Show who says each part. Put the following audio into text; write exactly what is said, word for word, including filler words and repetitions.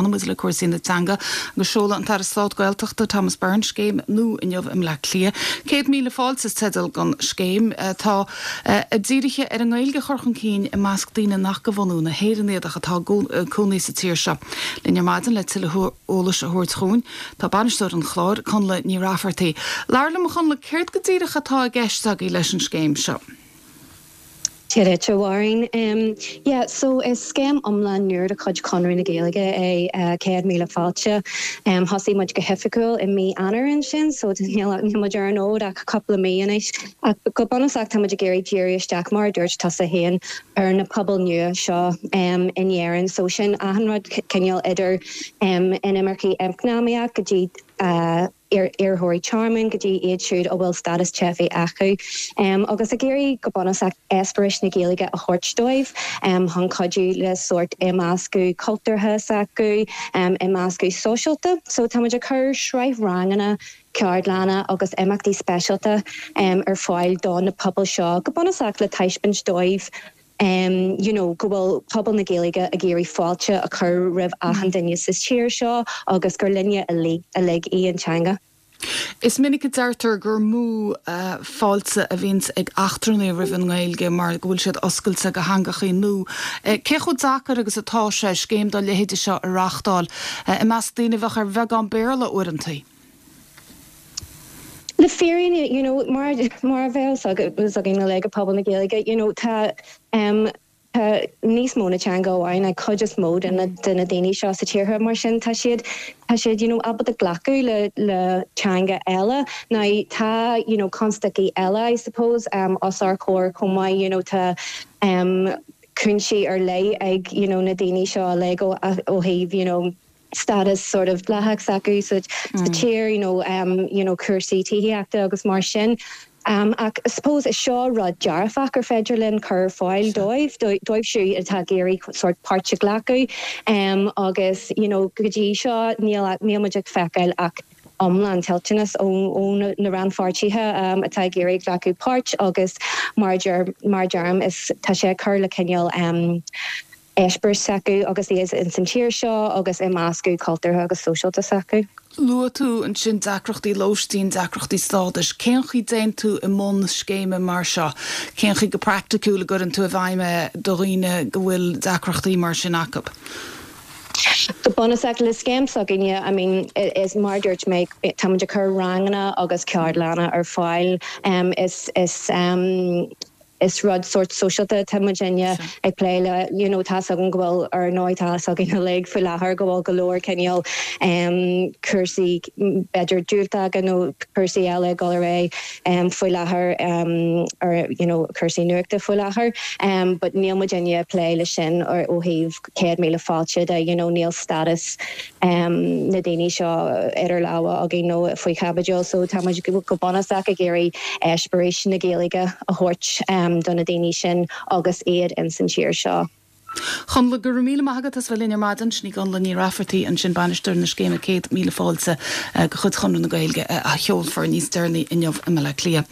Speaker 1: Fanfaidh muid le cúrsaí na teanga agus seoladh an tAire Stáit Gaeltachta Thomas Byrne scéim nua inniu i mBleá Cliath. Céad míle fáilte is teideal don scéim atá dírithe ar an nGaeilge a chur chun cinn i measc daoine nach de bhunú na hÉireann iad ach atá ina gcónaí sa tír seo. Linn ar maidin le tuilleadh eolais a thabhairt dúinn tá bainisteoir an chláir Connla Ní Raifeartaigh. Labhair liom Connla céard go díreach atá i gceist agaibh leis an scéim seo.
Speaker 2: Dia duit Mháirín. Um, yeah, so is scéim iomlán nua de chuid Chonradh na Gaeilge é uh, céad míle fáilte. Um, Thosaigh muid go hoifigiúil i mí Eanáir ansin, so níl muid ar an fhód ach cúpla mí anois. Ach go bunúsach tá muid ag iarraidh díriú isteach mar dúirt tusa féin ar na pobail nua seo um, in Éirinn, so sin achan rud cineál idir um, inimircigh eacnamaíoch go dtí uh, iarrthóirí tearmainn go dtí iad siúd a bhfuil stádas teifigh acu. Um, agus ag iarraidh go bunúsach eispéireas na Gaeilge a thabhairt dóibh um, chun cuidiú le sórt imeascadh cultúrtha s'acu um, imeascadh sóisialta, so tá muid ag cur sraith ranganna ceardlanna agus imeachtaí speisialta um, ar fáil do na pobail seo go bunúsach le taispeáint dóibh um, you know, go bhfuil pobal na Gaeilge ag iarraidh fáilte a chur roimh achan duine sa tír seo agus gur linne uilig í an teanga.
Speaker 1: Is minic a deirtear gur mó uh, fáilte a bhíonns ag eachtrannaigh roimh an nGaeilge mar go bhfuil siad oscailte do theangachaí nua. Uh, Cé chomh deacair agus atá sé scéim dá leithéid seo a reáchtáil uh, i measc daoine a bheadh ar bheagán Béarla uaireanta.
Speaker 2: Le fírinne you know, mar mar a bheas againn le go pobal na Gaeilge you know, tá um, Tá níos mó ná teanga amháin ag cuid is mó de na de na daoine seo sa tír mar sin tá siad tá siad you know, ábalta glacadh le le teanga eile na tá you know, constaicí eile I suppose um, os ár gcomhair chomh maith you know, tá um, cúinsí ar leith ag you know, na daoine seo le go ó thaobh you know, status sort of dleathach s'acu sa mm. tír you know, um, you know, cúrsaí tithíochta agus mar sin. Um, ach suppose is seo rud dearfach gur féidir linn cur fáil dóibh dóibh siúd atá ag iarraidh sort páirt a ghlacadh um, agus you know, go dtí seo níl níl muid ag feiceáil ach iomlán toilteanas ó ó na rannpháirtithe um, atá ag iarraidh glacadh páirt agus mar mar deirim is tá sé cur le cineál um, eispéireas s'acu agus iad in san tír seo agus imeascadh cultúrtha agus sóisialta s'acu.
Speaker 1: Luaigh tú ansin deacrachtaí lóistín deacrachtaí stádais, Cén chaoi a dtéann tú i mbun scéime mar seo, Cén chaoi go praiticiúil a gcuireann tú i bhfeidhm do dhaoine go bhfuil deacrachtaí mar sin acu.
Speaker 2: Go bunúsach le scéim s'againne I mean is mar dúirt mé tá ag cur ranganna agus ceardlanna ar fáil um, is is um, is rud sort sóisialta tá muidinne ag plé le you know, tá an go bhfuil ar ndóigh tá againn uilig faoi láthair go bhfuil go leor cineál um, cúrsaí b'fhéidir diúltacha nó cúrsaí eile go ré um, faoi láthair um, ar you know, cúrsaí nuachta faoi láthair um, but níl muidinne plé le sin ar ó thaobh céad míle fáilte de you know, níl status um, na daoine seo idir lámha againn nó faoi chaibidil so tá go bunúsach ag iarraidh eispéireas na Gaeilge a thabhairt um, do na daoine sin agus iad in san tír seo.
Speaker 1: Chun le go míle maigad as bhfuil ar maidin sin í Connla Ní Raifeartaigh ansin bainisteoir na scéime céad míle fáilte de chuid Chonradh na Gaeilge a sheolfar níos deireanaí inniu i mBaile Átha Cliath.